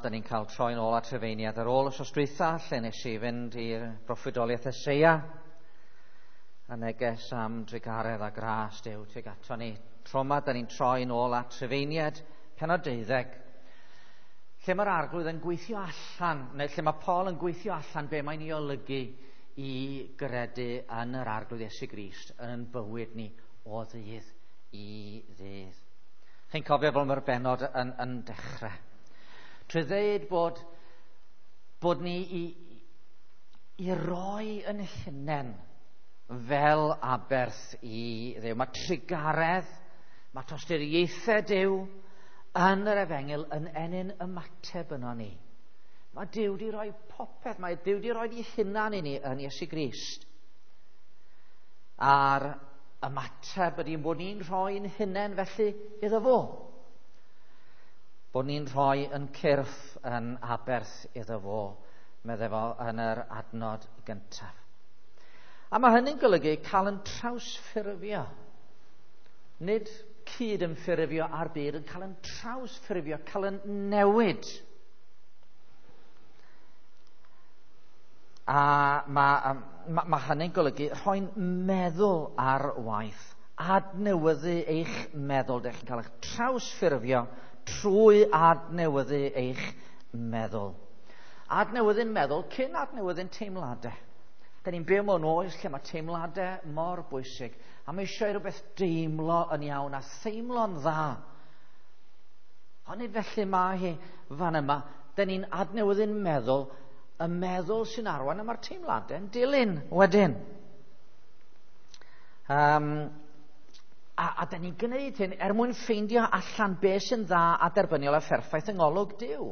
Da ni'n cael troi'n ôl at Rhufeiniad ar ôl wythnos dwytha, lle nes i fynd i'r broffwydoliaeth Eseia, a neges am drugaredd a gras Duw tuag ato ni. Tro yma, da ni'n troi'n ôl at Rhufeiniad, pennod 12, lle mae'r Arglwydd yn gweithio allan, neu lle mae Paul yn gweithio allan be mae'n ei olygu i gredu yn yr Arglwydd Iesu Grist yn bywyd ni o ddydd i ddydd. Chi'n cofio fel mae'r bennod yn dechrau. Trwy ddeud bod ni i roi yn hunain fel aberth i Dduw. Mae trugaredd, mae tosturiaethau Duw yn yr efengyl yn ennyn ymateb yno ni. Mae Duw wedi rhoi popeth, mae Duw wedi rhoi ei hunan i ni yn Iesu Grist. A'r ymateb ydy bod ni'n rhoi'n hunain felly iddo fo. Bod ni'n rhoi yn cyrff yn aberth iddo fo, meddai fo yn yr adnod gyntaf. A mae hynny'n golygu cael yn trawsffurfio. Nid cyd yn ffurfio ar byd, yn cael yn trawsffurfio, cael yn newid. A mae hynny'n golygu rhoi'n meddwl ar waith, adnewyddu eich meddwl. Dych chi'n cael eich trawsffurfio trwy adnewyddu eich meddwl. Adnewyddu'n meddwl cyn adnewyddu'n teimladau. Da ni'n byw mewn oes lle mae teimladau mor bwysig, a mae eisiau rhywbeth deimlo yn iawn a theimlo'n dda. Ond nid felly mae hi fan yma. Da ni'n adnewyddu'n meddwl, y meddwl sy'n arwain, a mae'r teimladau'n dilyn wedyn. A da ni'n gwneud hyn er mwyn ffeindio allan beth sy'n dda a derbyniol a pherffaith yng ngolwg Duw.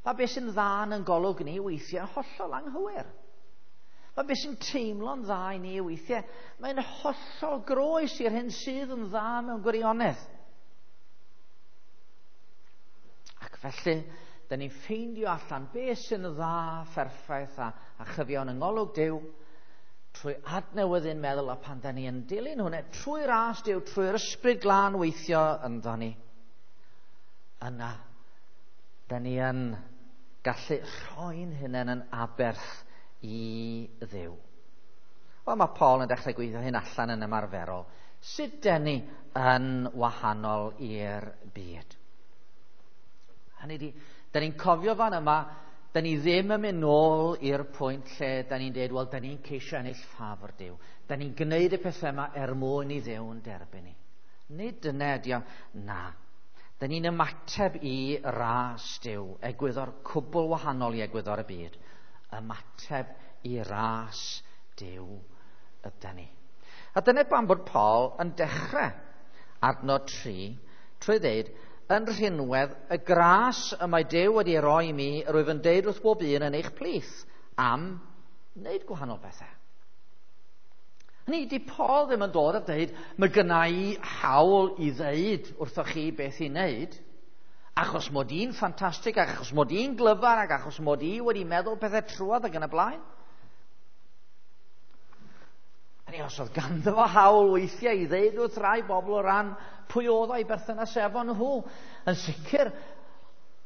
Mae beth sy'n dda yn golwg ni weithiau hollol anghywir. Mae beth sy'n teimlo'n dda i ni weithiau, mae'n hollol groes i'r hyn sydd yn dda mewn gwirionedd. Ac felly, da ni'n ffeindio allan beth sy'n dda, pherffaith a chyfiawn yng ngolwg Duw, trwy adnewyddu'n meddwl, a pan da ni yn dilyn hwnna, trwy ras Duw, trwy'r ysbryd glân weithio ynddo ni, yna, da ni yn gallu rhoi'n hunain yn aberth i Dduw. Wel, mae Paul yn dechrau gweithio hyn allan yn ymarferol. Sut da ni yn wahanol i'r byd? Hynny ydi, da ni'n cofio fan yma, da ni ddim yn mynd nôl i'r pwynt lle da ni'n deud, wel, da ni'n ceisio ennill ffafr Duw. Da ni'n gwneud y pethau yma er mwyn i Dduw yn derbyn ni. Nid dyna ydi o, na. Da ni'n ymateb i ras Duw, egwyddor cwbl wahanol i egwyddor y byd. Ymateb i ras Duw yda ni. A dyna pam bod Paul yn dechrau adnod 3 trwy ddeud, yn rhinwedd y gras y mae Duw wedi roi i mi, rwyf yn deud wrth bob un yn eich plith am wneud gwahanol bethau. Hynny, di Paul ddim yn dod a deud, mae gynna i hawl i ddeud wrthoch chi beth i wneud, achos mod i'n ffantastig, achos mod i'n glyfar, ac achos mod i wedi meddwl pethau trwodd ac yn y blaen. Hynny, os oedd ganddo fo hawl weithiau i ddeud wrth rai bobl o ran pwy oedd o'i berthynas efo nhw. Yn sicr,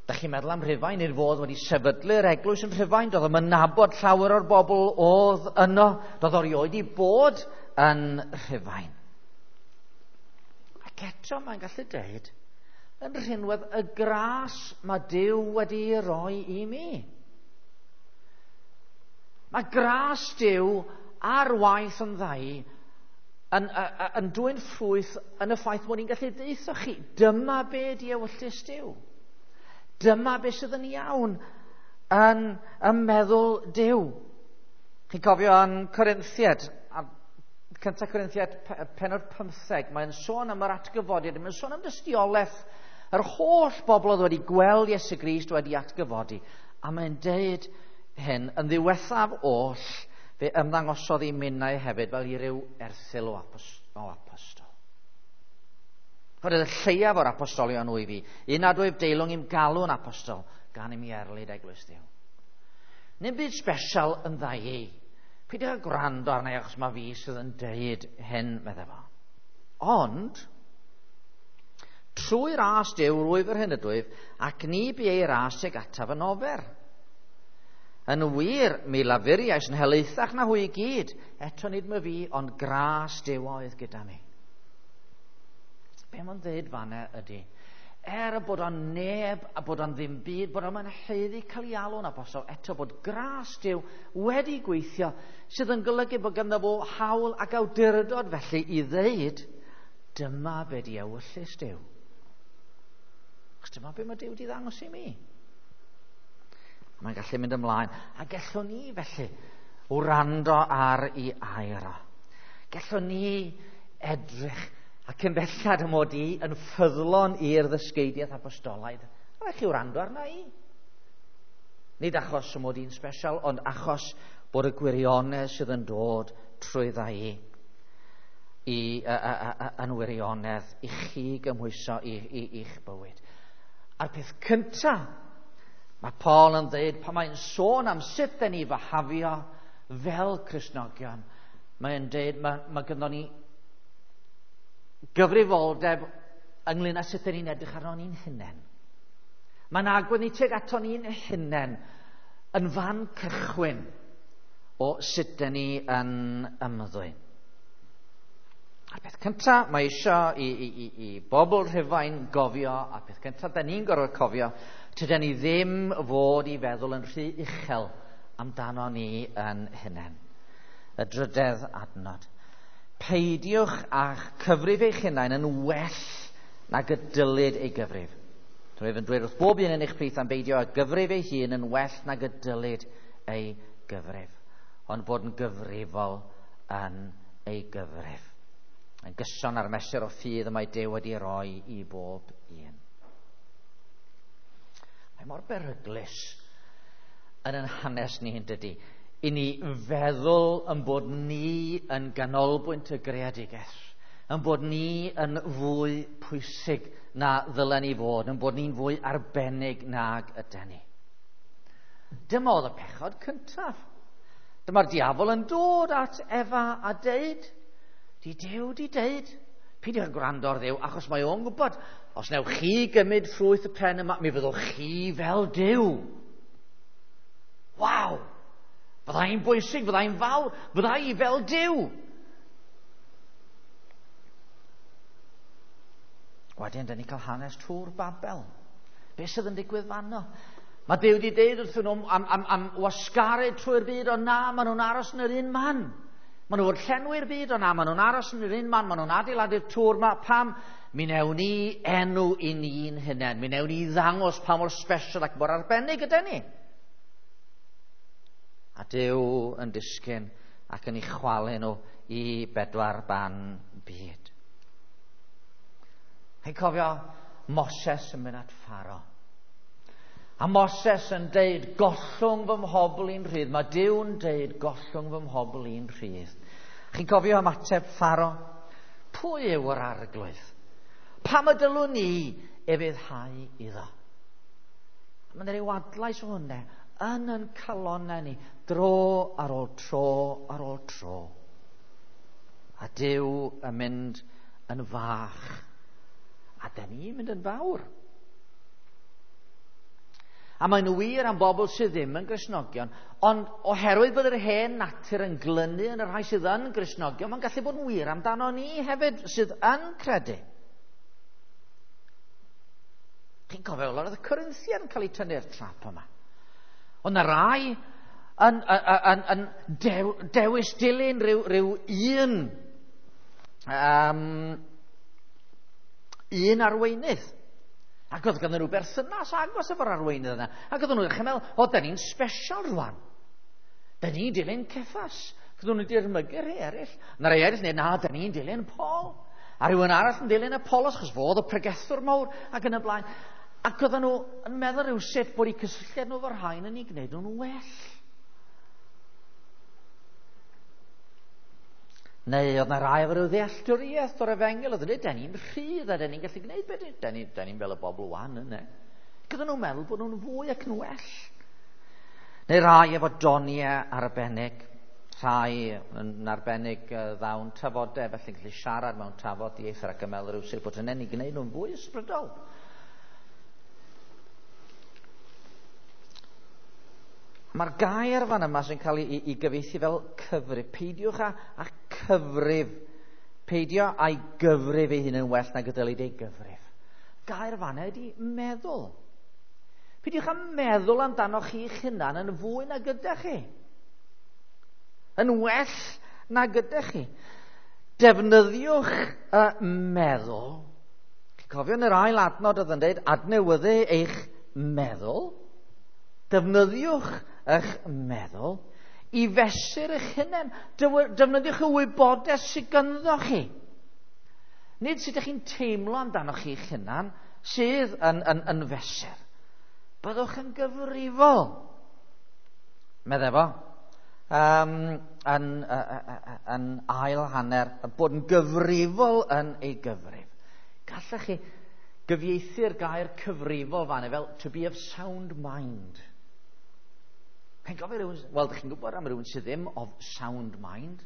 da chi'n meddwl am Rhufain, i'r fod wedi sefydlu'r eglwys yn Rhufain, doedd o'm yn nabod llawer o'r bobl oedd yno, doedd o erioed i bod yn Rhufain. Ac eto mae'n gallu deud, yn rhinwedd y gras mae Duw wedi roi i mi. Mae gras Duw ar waith yn ddau yn dwyn ffrwyth yn y ffaith mod i'n gallu deutho chi, dyma be di ewyllys Duw. Dyma be sydd yn iawn yn y meddwl Duw. Chi'n cofio yn Corinthiad, a cynta Corinthiad pennod 15, mae'n sôn am yr atgyfodiad, mae'n sôn am dystiolaeth yr holl bobl oedd wedi gweld Iesu Grist wedi atgyfodi. A mae'n deud hyn, yn ddiwethaf oll, fe ymddangosodd i minnau hefyd fel i ryw erthygl o apostol. Roedd y lleiaf o'r apostolion wyf i, un nad wyf deilwng i'm galw'n apostol, gan i mi erlid eglwys Dduw. Nim byd special yn dda i. Peidiwch â gwrando arna i achos mae fi sydd yn deud hyn, meddai fo. Ond, Trwy ras Duw rwyf yr hyn ydwyf, ac ni bu ei ras tuag ataf yn ofer. Yn wir, mi lafuriais yn helaethach na hwy i gyd, eto nid my fi, ond gras Duw oedd gyda mi. Be mae'n dweud fanna ydy, er y bod o'n neb a bod o'n ddim byd, bod o'n haeddu cael ei alw'n apostol, eto bod gras Duw wedi gweithio, sydd yn golygu bod ganddo fo hawl ac awdurdod felly i ddeud, dyma be di ewyllys Duw. Achos dyma be mae Duw wedi ddangos i mi. Mae'n gallu mynd ymlaen. A gellwn ni felly wrando ar ei air o. Gellwn ni edrych ac yn bellad y mod i yn ffyddlon i'r ddysgeidiaeth apostolaidd. Rhaid chi wrando arna i. Nid achos y mod i'n special, ond achos bod y gwirionedd sydd yn dod trwydda i yn wirionedd i chi gymhwyso i'ch bywyd. A'r peth cyntaf, mae Paul yn dweud, pan mae'n sôn am sut dyn ni fahafio fel Cristnogion, mae'n dweud, mae gynnon ni gyfrifoldeb ynglyn â sut dyn ni'n edrych arno ni'n hunain. Mae'n agwedd ni tuag ato ni'n hunain yn fan cychwyn o sut dyn ni yn ymddwyn. A'r peth cyntaf mae eisiau i bobl Rhufain gofio, a'r peth cyntaf da ni'n gorfod cofio, tydan ni ddim fod i feddwl yn rhy uchel amdano ni yn hunain. Y drydedd adnod. Peidiwch â'ch cyfrif eich hunain yn well nag y dylid ei gyfrif. Rwyf yn dweud wrth bob un yn eich plith am beidio â gyfrif ei hun yn well nag y dylid ei gyfrif, ond bod yn gyfrifol yn ei gyfrif. Yn gyson ar mesur o ffydd y mae Duw wedi roi i bob un. Mae mor beryglus yn ein hanes ni, yn dydy, i ni feddwl yn bod ni yn ganolbwynt y greadigaeth, yn bod ni yn fwy pwysig na ddylen ni fod, yn bod ni'n fwy arbennig nag yden ni. Dyma oedd y pechod cyntaf. Dyma'r diafol yn dod at Efa a deud, di Duw di deud, peidiwch â gwrando ar Dduw, achos mae o'n gwybod, os newch chi gymryd ffrwyth y pren yma, mi fyddwch chi fel Duw. Waw! Fyddai'n bwysig, fyddai'n fawr, fyddai fel Duw. Wedyn, dyn ni'n cael hanes Tŵr Babel. Be sydd yn digwydd fanno? Mae Duw wedi deud wrthyn nhw am wasgaru trwy'r byd, ond na, maen nhw'n aros yn yr un man. Maen nhw fod llenwi'r byd, ond na, maen nhw'n aros yn yr un man, maen nhw'n adeiladu'r tŵr yma. Pam? Mi newn ni enw i ni'n hunain. Mi newn ni ddangos pa mor special ac mor arbennig ydy ni. A Duw yn disgyn ac yn ei chwalu nhw i bedwar ban byd. Chi'n cofio Moses yn mynd at Pharaoh. A Moses yn deud, gollwng fy mhobl i'n rhydd. Mae Duw'n deud, gollwng fy mhobl i'n rhydd. Chi'n cofio ymateb Pharaoh? Pwy yw yr arglwydd? Pam y dylwn ni ufuddhau iddo? Mae'n rhyw adlais o hwnna yn ein calonnau ni, dro ar ôl tro ar ôl tro. A Duw yn mynd yn fach. A da ni'n mynd yn fawr. A mae'n wir am bobl sydd ddim yn Gristnogion, ond oherwydd bod yr hen natur yn glynu yn y rhai sydd yn Gristnogion, mae'n gallu bod yn wir amdano ni hefyd sydd yn credu. Chi'n cofio, oedd y Corinthian yn cael eu tynnu'r trap yma. Ond na rai yn dewis dilyn rhyw un arweinydd. Ac oedd ganddyn nhw berthynas agos efo'r arweinydd yna. Ac oedden nhw'n dechrau meddwl, o, da ni'n special rwan. Da ni'n dilyn Ceffas. Ac oedden nhw'n dirmygu rhai eraill. Na rhai eraill, neu na, da ni'n dilyn Paul. A rhywun arall yn dilyn Apollos, achos fo oedd y pregethwr mawr ac yn y blaen. Ac oedden nhw yn meddwl rhyw sut bod eu cysylltiad nhw efo'r rhain yn ei gwneud nhw'n well. Neu oedd na rai efo rhyw ddealltwriaeth o'r efengyl, oedd yn dweud, da ni'n rhydd a da ni'n gallu gwneud beth, da ni'n fel y bobl wan yna. Ac oedden nhw'n meddwl bod nhw'n fwy ac yn well. Neu rai efo doniau arbennig. Rhai yn arbennig ddawn tafodau, felly'n gallu siarad mewn tafod dieithr ac yn meddwl rhywsut bod hynny'n ei gwneud nhw'n fwy ysbrydol. Mae'r gair fan yma sy'n cael ei gyfieithu fel cyfrif. Peidiwch â cyfrif. Peidio â'i gyfrif ei hun yn well nag y dylid ei gyfrif. Gair fan ydy meddwl. Peidiwch â meddwl amdanoch chi'ch hunan yn fwy nag ydych chi. Yn well nag ydych chi. Defnyddiwch y meddwl. Chi'n cofio yn yr ail adnod oedd yn dweud adnewyddu eich meddwl. Defnyddiwch eich meddwl i fesur eich hunain. Defnyddiwch y wybodaeth sydd ganddo chi. Nid sut ydych chi'n teimlo amdanoch chi'ch hunan sydd yn fesur. Byddwch yn gyfrifol, meddai fo, yn ail hanner, bod yn gyfrifol yn ei gyfrif. Gallech chi gyfieithu'r gair cyfrifol fan fel to be of sound mind. Chi'n gofio rhywun, wel, dych chi'n gwybod am rhywun sydd ddim of sound mind.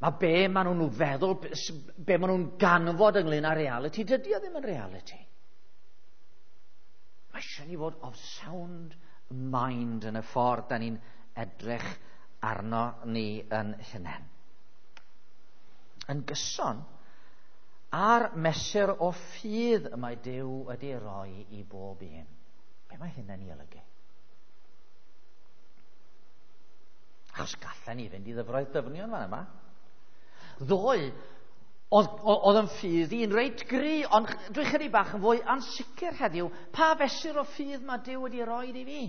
Mae be maen nhw'n feddwl, be maen nhw'n ganfod ynglyn â reality, dydy o ddim yn reality. Mae eisiau ni fod of sound mind yn y ffordd da ni'n edrych arno ni yn hunain. Yn gyson, a'r mesur o ffydd y mae Duw wedi roi i bob un. Be mae hynny'n ei olygu? Achos gallen ni fynd i ddyfroedd dyfnion fan yma. Ddoe, oedd yn ffydd i'n reit gry, ond dwi'n chydig bach yn fwy ansicr heddiw. Pa fesur o ffydd mae Duw wedi roi i fi?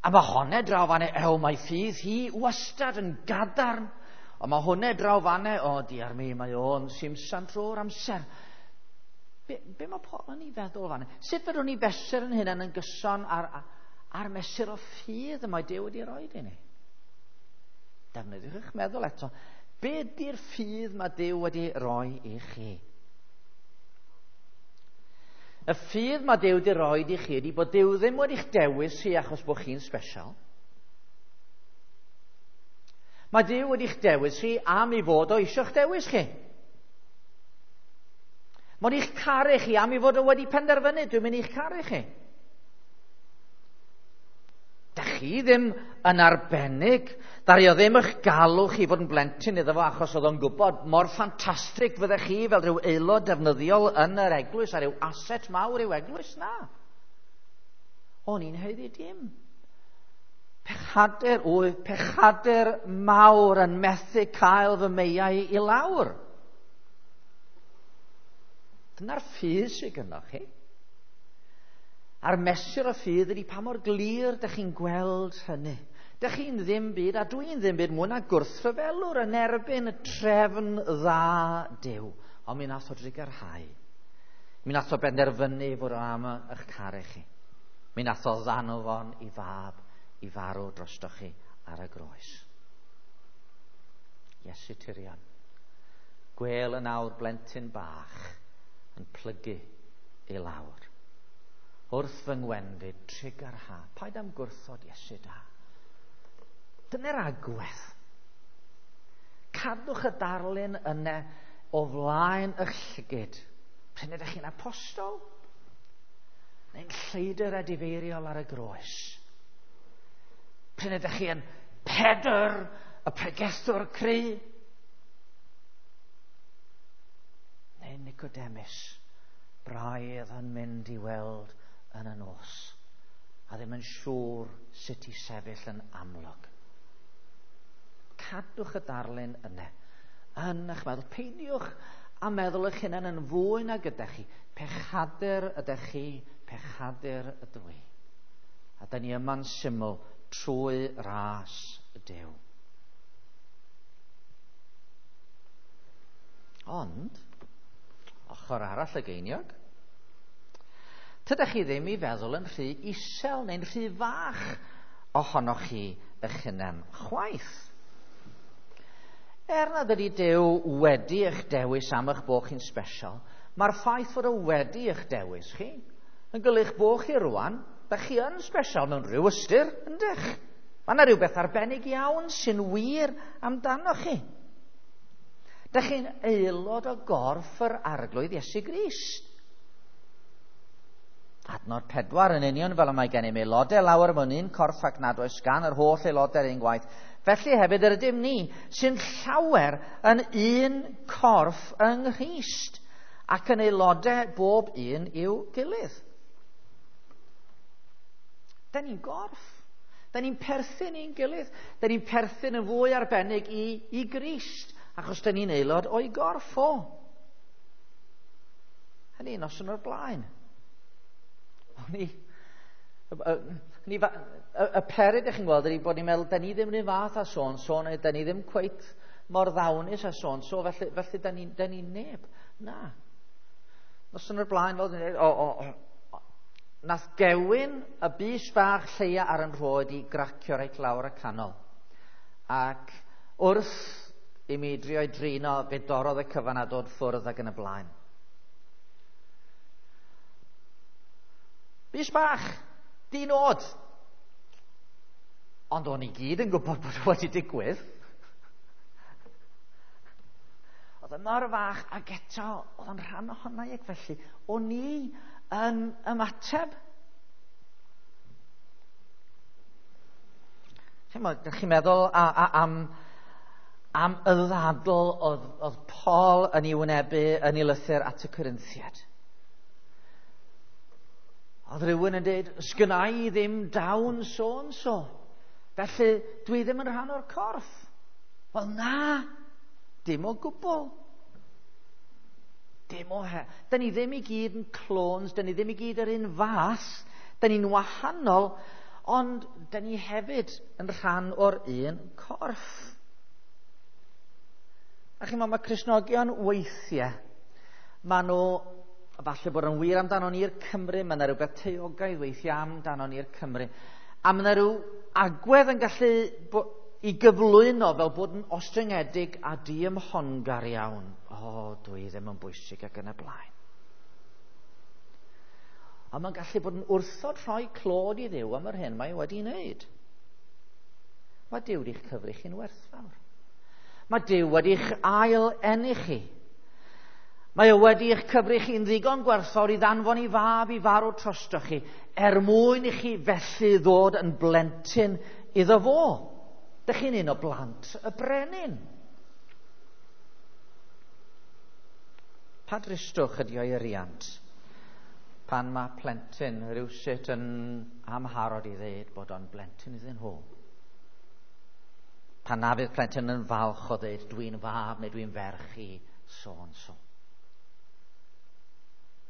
A mae honne draw fanne, ew, mae ffydd hi wastad yn gadarn. Ond mae hwnne draw fanne, o, diar mi, mae o'n simsan trwy'r amser. Be mae pobl yn ei feddwl fanne? Sut fedrwn ni fesur yn hynna'n yn gyson ar mesur o ffydd y mae Duw wedi roi i ni? Defnyddiwch eich meddwl eto. Be ydy'r ffydd mae Duw wedi roi i chi? Y ffydd mae Duw wedi roi i chi ydy bod Duw ddim wedi'ch dewis chi achos bod chi'n special. Mae Duw wedi'ch dewis chi am ei fod o eisiau'ch dewis chi. Mae'n eich caru chi am ei fod o wedi penderfynu, dwi'n mynd i'ch caru chi. Da chi ddim yn arbennig. Ddaru o ddim eich galw chi fod yn blentyn iddo fo achos oedd o'n gwybod mor ffantastig fyddech chi fel rhyw aelod defnyddiol yn yr eglwys a rhyw aset mawr i'w eglwys. Na. O'n i'n haeddu dim. Pechadur oedd pechadur mawr yn methu cael fy meiau i lawr. Dyna'r ffydd sydd gynnoch chi. A'r mesur o ffydd ydy pa mor glir dych chi'n gweld hynny. Dych chi'n ddim byd, a dwi'n ddim byd mwy na gwrthryfelwr yn erbyn y trefn dda Duw. Ond mi nath o drugarhau. Mi nath o benderfynu fod o am eich caru chi. Mi nath o ddanfon i fab i farw drostoch chi ar y groes. Iesu Tirion, gwel yn awr blentyn bach yn plygu i lawr. Wrth fy ngwendid, trugarha, paid am gwrthod Iesu da. Dyna'r agwedd. Cadwch y darlun yna o flaen eich llygid. Pryd ydych chi'n apostol? Neu'n lleidr edifeiriol ar y groes? Pryd ydych chi yn Pedr, y pregethwr cry? Neu Nicodemus, braidd yn mynd i weld yn y nos, a ddim yn siŵr sut i sefyll yn amlwg. Cadwch y darlun yna yn eich meddwl. Peidiwch a meddwl eich hunan yn fwy nag ydych chi. Pechadur ydych chi, pechadur ydw i. A da ni yma'n syml trwy ras y Duw. Ond, ochr arall y geiniog, tydych chi ddim i feddwl yn rhy isel neu'n rhy fach ohonoch chi eich hunan chwaith. Er nad ydy Duw wedi eich dewis am eich bod chi'n special, mae'r ffaith fod o wedi eich dewis chi yn golygu bod chi rwan, da chi yn special mewn rhyw ystyr, yndych? Mae yna rhywbeth arbennig iawn sy'n wir amdanoch chi. Dych chi'n aelod o gorff yr Arglwydd Iesu Grist. Adnod 4 yn union fel y mae gennym aelodau lawer mewn un corff ac nad oes gan yr holl aelodau'r un gwaith. Felly hefyd yr ydym ni sy'n llawer yn un corff yng Nghrist ac yn aelodau bob un i'w gilydd. Da ni'n gorff. Da ni'n perthyn i'n gilydd. Da ni'n perthyn yn fwy arbennig i Grist, achos da ni'n aelod o'i gorff o. Hynny noson o'r blaen. O'n i... Y peryg ydych chi'n gweld ydy bod ni'n meddwl, da ni ddim yn un fath â so-and-so, neu da ni ddim cweit mor ddawnus â so-and-so, felly da ni neb. Na. Noson o'r blaen, fel dyn ni, nath gewyn y bys bach lleia ar yn rhoed i gracio reit lawr y canol. Ac wrth i mi drio i drino, fe dorrodd y cyfan a dod ffwrdd ac yn y blaen. Bys bach, di-nod. Ond o'n i gyd yn gwybod bod wedi digwydd. Oedd y mor fach ac eto oedd o'n rhan ohono i, ac felly o'n i yn ymateb. Chi'n chi'n meddwl am y ddadl oedd Paul yn ei wynebu yn ei lythyr at y Corinthiaid. Oedd rhywun yn dweud, sgynna i ddim dawn so-and-so, felly dwi ddim yn rhan o'r corff. Wel na, dim o gwbl. Dim o he. Da ni ddim i gyd yn clones, da ni ddim i gyd yr un fath, da ni'n wahanol, ond da ni hefyd yn rhan o'r un corff. A chi'n meddwl, mae Cristnogion weithiau, maen nhw, falle bod yn wir amdano ni'r Cymru, mae yna rhywbeth taeogaidd weithiau amdano ni'r Cymru. A mae yna rhyw agwedd yn gallu i gyflwyno fel bod yn ostyngedig a diymhongar iawn. O, dwi ddim yn bwysig ac yn y blaen. A mae'n gallu bod yn wrthod rhoi clod i Dduw am yr hyn mae wedi wneud. Mae Duw wedi'ch cyfri chi'n werthfawr. Mae Duw wedi'ch ail enni chi. Mae o wedi'ch cyfri chi'n ddigon gwerthfawr i ddanfon i fab i farw drostoch chi, er mwyn i chi felly ddod yn blentyn iddo fo. Dych chi'n un o blant y brenin. Pa dristwch ydi o'i riant pan mae plentyn rhywsut yn amharod i ddeud bod o'n blentyn iddyn nhw? Pan na fydd plentyn yn falch o ddeud dwi'n fab neu dwi'n ferch i so-and-so.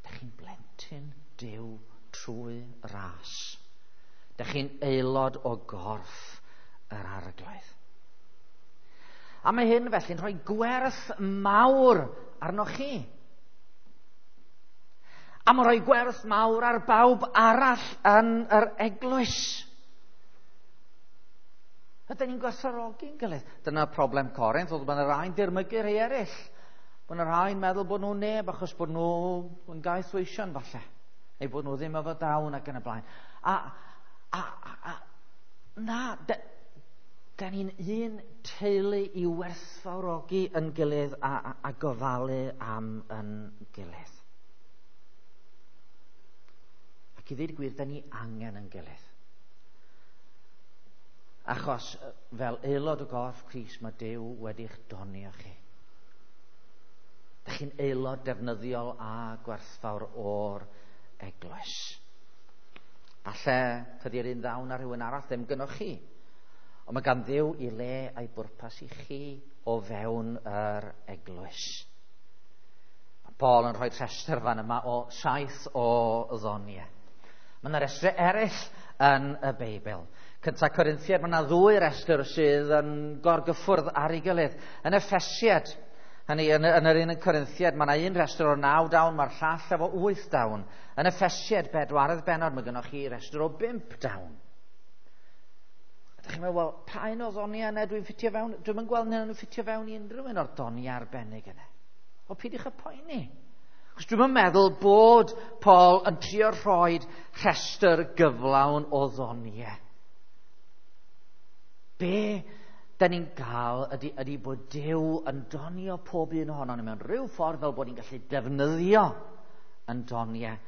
Dych chi'n blentyn Duw trwy ras. Dych chi'n aelod o gorff yr Arglwydd. A mae hyn felly'n rhoi gwerth mawr arnoch chi. A mae'n rhoi gwerth mawr ar bawb arall yn yr eglwys. Ydyn ni'n gwerthfawrogi'n gilydd. Dyna problem Corinth, oedd bod yna rhai'n dirmygu rhai eraill. Bod yna rhai'n meddwl bod nhw'n neb achos bod nhw yn gaethweision falle. Neu bod nhw ddim efo dawn ac yn y blaen. Na, da ni'n un teulu i werthfawrogi yn gilydd a gofalu am yn gilydd. Ac i ddweud gwir, da ni angen yn gilydd. Achos fel aelod o gorff Crist, mae Duw wedi'ch donio chi. Dych chi'n aelod defnyddiol a gwerthfawr o'r eglwys. Falle tydi'r un ddawn ar rhywun arall ddim gynnoch chi. Ond mae gan Dduw i le a'i bwrpas i chi o fewn yr eglwys. Mae Paul yn rhoi rhestr fan yma o 7 o ddoniau. Mae yna restr eraill yn y Beibl. Cynta Corinthiaid, mae yna 2 restr sydd yn gorgyffwrdd ar ei gilydd. Yn Effesiad, hynny yn yr un yn Corinthiaid, mae yna un restr o 9 dawn, mae'r llall efo 8 dawn. Yn Effesiad, 4 bennod, mae gennych chi restr o 5 dawn. Ydych chi'n meddwl, wel, pa un o ddoniau yna dwi'n ffitio fewn? Dwi'm yn gweld nhw'n ffitio fewn i unrhyw un o'r doniau arbennig yna. Wel, peidiwch â poeni. Achos dwi'm yn meddwl bod Paul yn trio rhoi rhestr gyflawn o ddoniau. Be da ni'n gael ydy bod Duw yn donio pob un ohono ni mewn rhyw ffordd fel bod ni'n gallu defnyddio yn doniau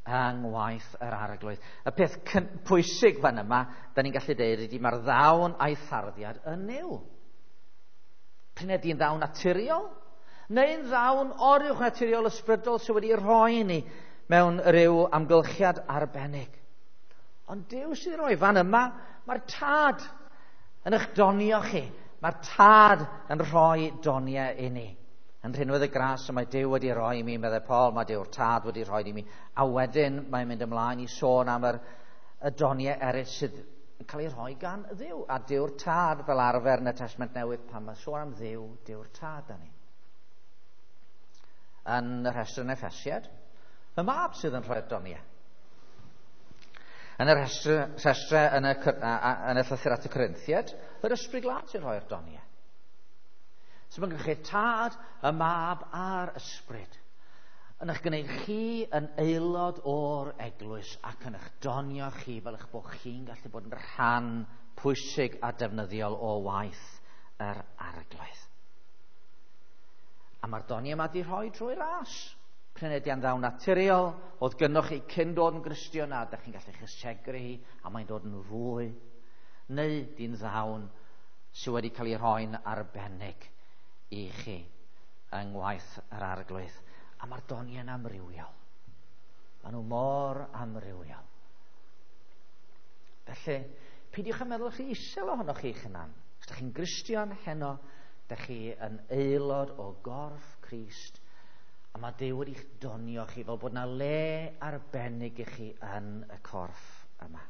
yng ngwaith yr Arglwydd. Y peth pwysig fan yma, da ni'n gallu dweud, ydy mae'r ddawn a'i tharddiad yn Nuw. P'un ydy'n ddawn naturiol, neu'n ddawn oruwch naturiol ysbrydol sydd wedi rhoi ni mewn rhyw amgylchiad arbennig. Ond Duw sydd rhoi fan yma, mae'r Tad yn eich donio chi. Mae'r Tad yn rhoi doniau i ni. Yn rhinwedd y gras y mae Duw wedi rhoi i mi, meddai Paul, mae Duw'r Tad wedi rhoi i mi. A wedyn mae'n mynd ymlaen i sôn am y doniau eraill sydd yn cael ei rhoi gan Dduw. A Duw'r Tad fel arfer yn y Testament Newydd, pan mae sôn am Dduw, Duw'r Tad da ni. Yn y rhestr yn Effesiad, y Mab sydd yn rhoi'r doniau. Yn y rhestr yn y llythyr at y Corinthiaid, yr Ysbryd Glân sy'n rhoi'r doniau. So mae'n gallu Tad, y Mab a'r Ysbryd yn eich gwneud chi yn aelod o'r eglwys ac yn eich donio chi fel eich bod chi'n gallu bod yn rhan pwysig a defnyddiol o waith yr Arglwydd. A mae'r doniau yma wedi rhoi drwy ras. P'un ydy yn ddawn naturiol, oedd gynnoch chi cyn dod yn Gristion a ydych chi'n gallu chysegru hi a mae'n dod yn fwy, neu di'n ddawn sydd wedi cael ei rhoi'n arbennig i chi yng ngwaith yr Arglwydd. A mae'r doniau'n amrywiol. Maen nhw mor amrywiol. Felly, peidiwch â meddwl chi isel ohonoch chi'ch hunan. Os ydych chi'n Gristion heno, ydych chi yn aelod o gorff Crist, a mae Duw wedi'ch donio chi fel bod yna le arbennig i chi yn y corff yma.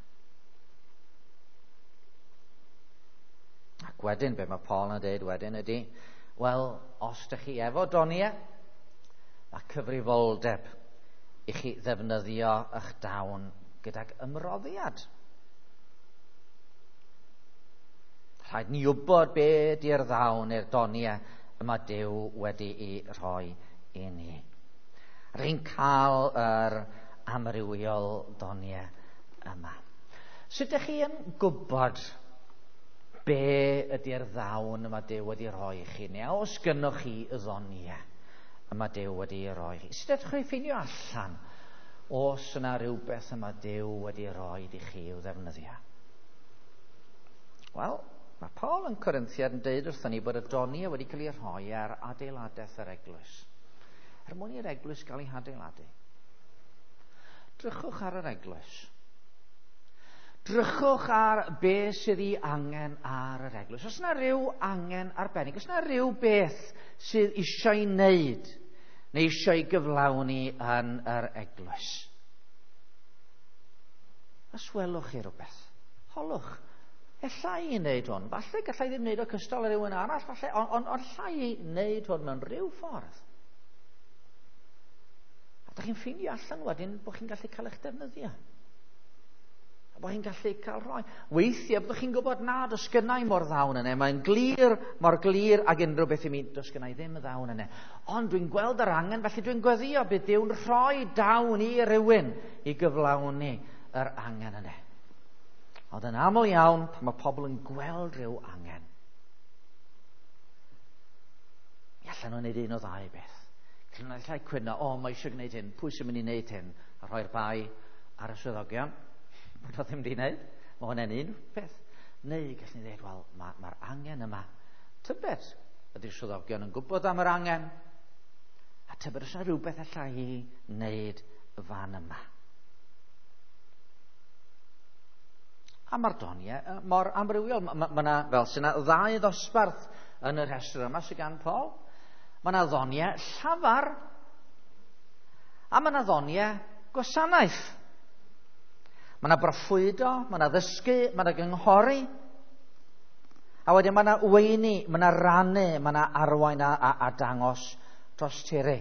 Ac wedyn, be mae Paul yn dweud wedyn ydy, wel, os ydych chi efo doniau, mae cyfrifoldeb i chi ddefnyddio eich dawn gydag ymroddiad. Rhaid ni wybod be di'r ddawn neu'r doniau y mae Duw wedi'i rhoi i ni. Rwy'n cael yr amrywiol doniau yma. Sut ydych chi yn gwybod be ydy'r ddawn y mae Duw wedi rhoi i chi, neu os gynnoch chi y ddoniau y mae Duw wedi rhoi i chi? Sut ydych chi'n ffeindio allan os yna rhywbeth y mae Duw wedi rhoi i chi i'w ddefnyddio? Wel, mae Paul yn Corinthiad yn deud wrthon ni bod y doniau wedi cael ei rhoi ar adeiladaeth yr eglwys, er mwyn i'r eglwys gael ei hadeiladu. Drychwch ar yr eglwys. Drychwch ar be sydd ei angen ar yr eglwys. Os yna rhyw angen arbennig, os yna rhyw beth sydd eisiau ei wneud neu eisiau ei gyflawni yn yr eglwys. Os welwch chi rhywbeth, holwch. Ella i wneud hwn. Falle gallai ddim wneud o cystal â rhywun arall, falle, ond alla i wneud hwn mewn rhyw ffordd. A dych chi'n ffeindio allan wedyn bod chi'n gallu cael eich defnyddio. A bod chi'n gallu cael rhoi. Weithiau byddwch chi'n gwybod na, does gynna i mor ddawn yna. Mae'n glir, mor glir ag unrhyw beth i mi, does gynna i ddim y ddawn yna. Ond dwi'n gweld yr angen, felly dwi'n gweddio bydd Duw'n rhoi dawn i rywun i gyflawni yr angen yna. Ond yn aml iawn, pan mae pobl yn gweld rhyw angen, mi allan nhw'n gwneud un o ddau beth. Gallen nhw allai cwyno, o, mae eisiau gwneud hyn, pwy sy'n mynd i wneud hyn? A rhoi'r bai ar y swyddogion, bod o ddim wedi wneud. Mae hwnna'n un peth. Neu gallen ni ddweud, wel, mae'r angen yma. Tybed, ydy'r swyddogion yn gwybod am yr angen? A tybed oes yna rhywbeth allai i wneud fan yma? A mae'r doniau mor amrywiol. Mae yna, fel sy'n yna, ddau ddosbarth yn y rhestr yma sydd gan Paul. Mae yna ddoniau llafar a mae yna ddoniau gwasanaeth. Mae yna broffwydo, mae yna ddysgu, mae yna gynghori. A wedyn mae yna weini, mae yna rannu, mae yna arwain a dangos tosturi.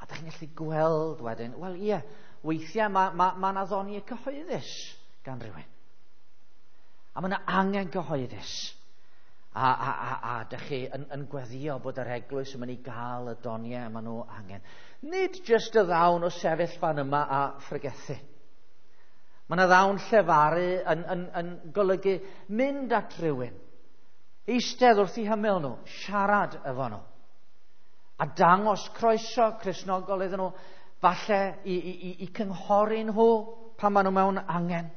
A dych chi'n gallu gweld wedyn, wel ie, weithiau mae yna ddoniau cyhoeddus gan rhywun. A mae yna angen cyhoeddus. A dych chi yn gweddio bod yr eglwys yn mynd i gael y doniau maen nhw angen. Nid jyst y ddawn o sefyll fan yma a phregethu. Mae yna ddawn llefaru yn golygu mynd at rhywun, eistedd wrth eu hymyl nhw, siarad efo nhw, a dangos croeso Cristnogol iddyn nhw, falle i cynghori nhw pan maen nhw mewn angen.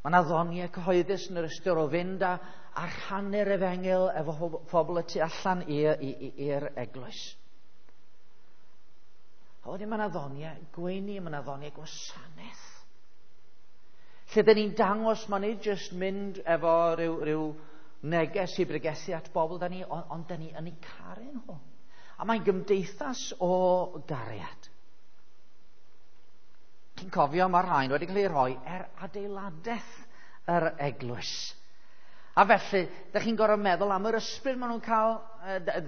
Mae yna ddoniau cyhoeddus yn yr ystyr o fynd a rhannu'r efengyl efo phobl y tu allan i'r eglwys. A wedyn mae yna ddoniau gweini, mae yna ddoniau gwasanaeth. Lle dyn ni'n dangos, mae nid jyst mynd efo rhyw neges i bregethu at bobl da ni, ond da ni yn eu caru nhw. A mae'n gymdeithas o gariad. Chi'n cofio, mae'r rhain wedi cael ei rhoi er adeiladaeth yr eglwys. A felly, da chi'n gorfod meddwl am yr ysbryd maen nhw'n cael,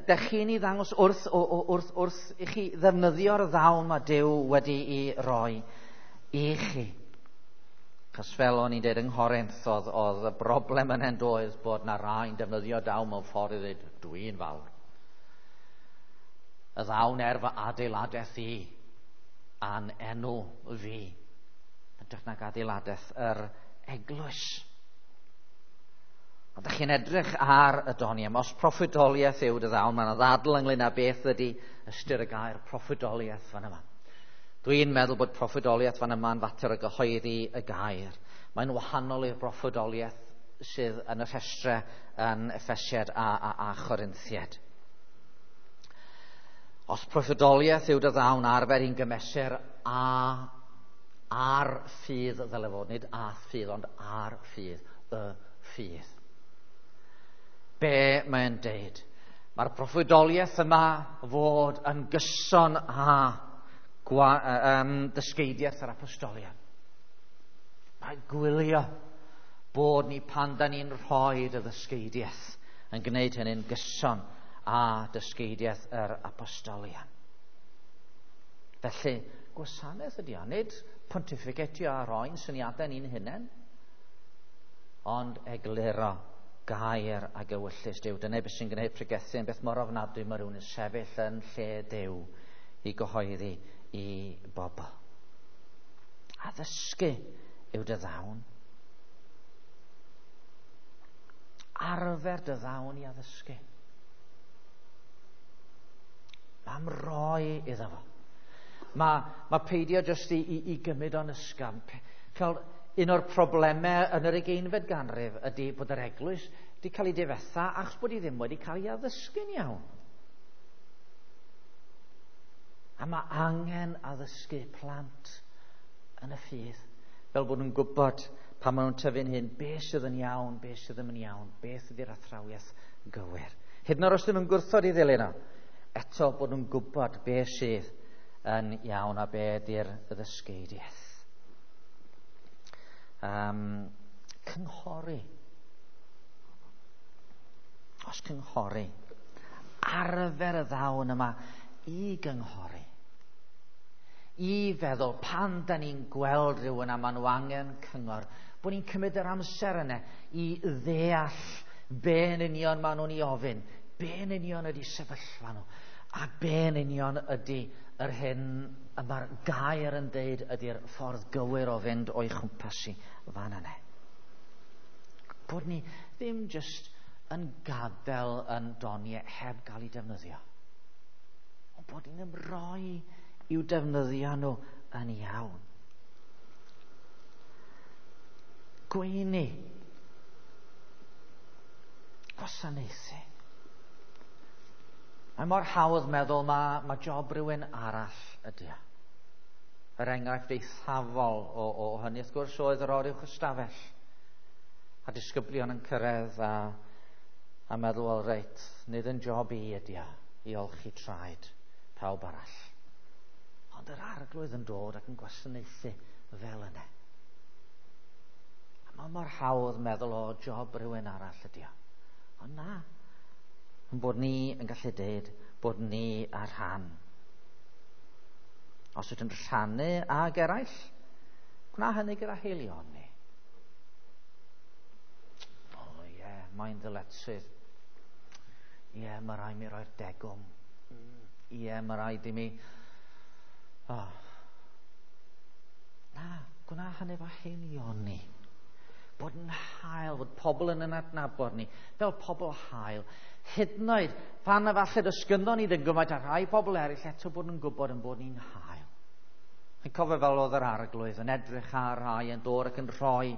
da chi'n ei ddangos wrth i chi ddefnyddio'r ddawn mae Duw wedi'i roi i chi. Chos fel o'n i'n dweud yng Nghorinth, oedd y broblem yn hyn doedd bod na rai'n defnyddio dawn mewn ffordd i ddweud, dwi'n fawr. Y ddawn er fy adeiladaeth i, a'n enw fi, yn nag adeiladaeth yr eglwys. Ond ydych chi'n edrych ar y doniau, os proffwydoliaeth yw dy ddawn, mae yna ddadl ynglyn â beth ydy ystyr y gair proffwydoliaeth fan yma. Dwi'n meddwl bod proffwydoliaeth fan yma'n fater o gyhoeddi y gair. Mae'n wahanol i'r proffwydoliaeth sydd yn y rhestrau yn Effesiad a Chorinthiad. Os proffwydoliaeth yw dy ddawn, arfer i'n gymesur ar ffydd ddyle fod, nid a ffydd, ond ar ffydd, y ffydd. Be mae'n deud? Mae'r proffwydoliaeth yma fod yn gyson â dysgeidiaeth yr apostolion. Mae gwylio bod ni pan da ni'n rhoi y ddysgeidiaeth yn gwneud hynny'n gyson â dysgeidiaeth yr apostolion. Felly, gwasanaeth ydy o, nid pontificatio a roi'n syniadau ni'n hunain, ond egluro gair ag ewyllys Duw. Dyna beth sy'n gwneud pregethu yn beth mor ofnadwy mae rhywun yn sefyll yn lle Duw i gyhoeddi i bobl. Addysgu yw dy ddawn. Arfer dy ddawn i addysgu. Mae'n roi iddo fo. Mae peidio jyst i gymryd o'n ysgafn. Cael un o'r problemau yn yr 20fed ganrif ydy bod yr eglwys wedi cael ei difetha achos bod hi ddim wedi cael ei addysgu'n iawn. A mae angen addysgu plant yn y ffydd, fel bod nhw'n gwybod pan maen nhw'n tyfu'n hyn, beth sydd yn iawn, beth sydd ddim yn iawn, beth ydy'r athrawiaeth gywir. Hyd yn oed os ydyn nhw'n gwrthod i ddilyn o, eto bod nhw'n gwybod beth sydd yn iawn a beth ydy'r ddysgeidiaeth. Cynghori. Os cynghori, arfer y ddawn yma i gynghori. I feddwl pan da ni'n gweld rhywun a maen nhw angen cyngor, bod ni'n cymryd yr amser yna i ddeall be yn union maen nhw'n ei ofyn, be yn union ydy sefyllfa nhw, a be yn union ydy yr hyn y mae'r gair yn deud ydy'r ffordd gywir o fynd o'i chwmpas i fan yna. Bod ni ddim jyst yn gadael yn doniau heb gael ei defnyddio, ond bod ni'n ymroi i'w defnyddio nhw yn iawn. Gweini. Gwasanaethu. Mae mor hawdd meddwl mae job rhywun arall ydy o. Yr enghraifft eithafol o hynny, wrth gwrs, oedd yr oruwch ystafell. A disgyblion yn cyrraedd a meddwl, wel reit, nid yn job i ydy o, i olchi traed pawb arall. Ond yr arglwydd yn dod ac yn gwasanaethu fel yna. A mae mor hawdd meddwl o job rhywun arall ydy o. Ond na, yn bod ni yn gallu deud bod ni ar rhan. Os ydyn rhannu ag eraill, gwna hynny gyda haelioni. O ie, mae'n ddyletswydd. Ie, mae rhaid mi roi'r degwm. Ie, mae rhaid i mi. Oh. Na, gwna hynny efo haelioni. Bod yn hael, bod pobl yn adnabod ni, fel pobl hael. Hyd yn oed, pan efallai does gynddon ni ddim gymaint â rhai pobl eraill, eto bod yn gwybod yn bod ni'n hael. Yn cofio fel oedd yr arglwydd yn edrych ar rhai yn dod ac yn rhoi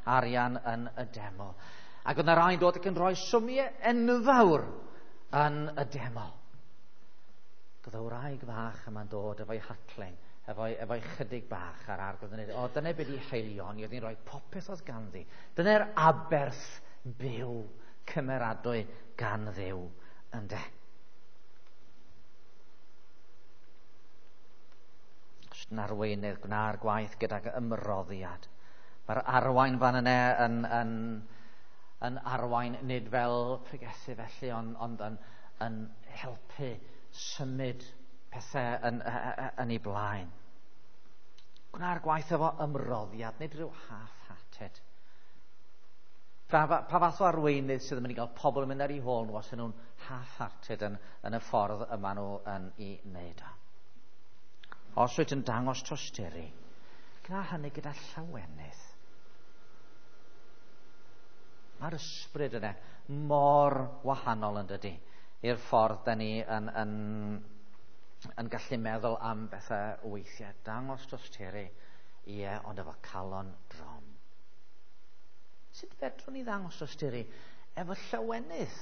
arian yn y deml. Ac oedd yna rhai'n dod ac yn rhoi symiau enfawr yn y deml. Oedd y wraig fach yma'n dod efo'i hatling, efo'i chydig bach ar arglwydd yn dweud, o, dyna beth i haelioni, oedd hi'n rhoi popeth oedd ganddi. Dyna'r aberth byw cymeradwy gan Dduw, ynde. Os yn arweinydd, gwna'r gwaith gydag ymroddiad. Mae'r arwain fan yna yn arwain nid fel pregethu felly, ond yn helpu symud pethau yn ei blaen. Gwna'r gwaith efo ymroddiad, nid rhyw half-hearted. Pa fath o arweinydd sydd yn mynd i gael pobl yn mynd ar eu hôl nhw os ydyn nhw'n half-hearted yn y ffordd yma nhw yn ei wneud o. Os wyt yn dangos tosturi, gwna hynny gyda llawenydd. Mae'r ysbryd yna mor wahanol yn dydi i'r ffordd da ni yn gallu meddwl am bethau weithiau. Dangos tosturi, ie, ond efo calon drom. Sut fedrwn ni ddangos tosturi efo llawenydd?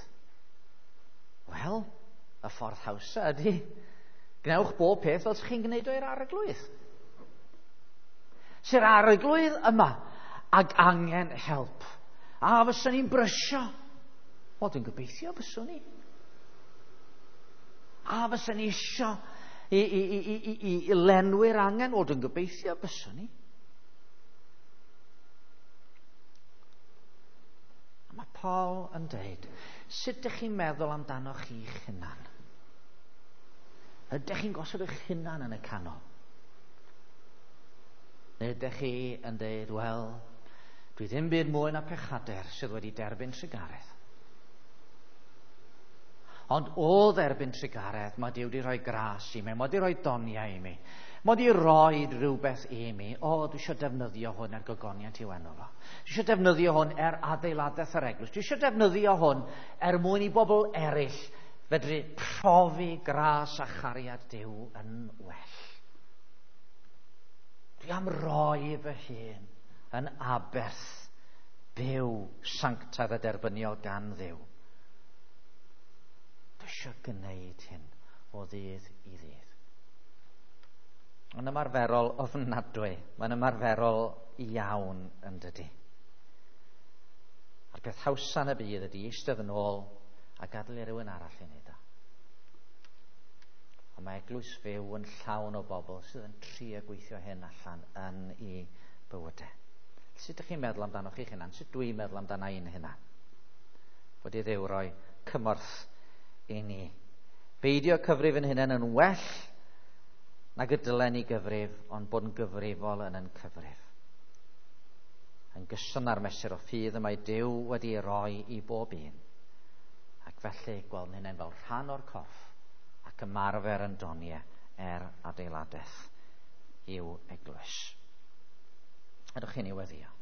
Wel, y ffordd hawsa ydy gwnewch bob peth fel chi'n gwneud o i'r arglwydd. Sy'r arglwydd yma ag angen help. A fyswn ni'n brysio. Wel, dwi'n gobeithio fyswn ni. A fyswn ni isio i lenwi'r angen. Wel, dwi'n gobeithio fyswn ni. A mae Paul yn dweud, sut ydych chi'n meddwl amdano chi'ch hunan? Ydych chi'n gosod eich hunan yn y canol? Neu ydych chi yn dweud, wel, dwi ddim byd mwy na pechadur sydd wedi derbyn trugaredd. Ond o dderbyn trugaredd, mae Duw wedi rhoi gras i mi, mae wedi rhoi doniau i mi, mae wedi rhoi rhywbeth i mi. O, dwi eisiau defnyddio hwn er gogoniant i'w enw fo. Dwi eisiau defnyddio hwn er adeiladaeth yr eglwys. Dwi eisiau defnyddio hwn er mwyn i bobl eraill fedru profi gras a chariad Duw yn well. Dwi am roi fy hun yn aberth byw sanctaidd a derbyniol gan Dduw. Dwi eisiau gwneud hyn o ddydd i ddydd. Mae'n ymarferol ofnadwy. Mae'n ymarferol iawn yn dydi. A'r peth hawsa yn y byd ydy eistedd yn ôl a gadael i rywun arall i wneud o. Ond mae eglwys fyw yn llawn o bobl sydd yn trio gweithio hyn allan yn ei bywydau. Sut ydych chi'n meddwl amdano chi'ch hunan? Sut dwi'n meddwl amdano i'n hunan? Fod i Dduw roi cymorth i ni. Beidio cyfrif yn hunan yn well nag y dylen ni gyfrif, ond bod yn gyfrifol yn yn cyfrif. Yn gyson â'r mesur o ffydd y mae Duw wedi ei roi i bob un. Ac felly gweld hynny'n fel rhan o'r corff ac ymarfer yn doniau er adeiladaeth i'w eglwys. Ydych chi'n ei weddio?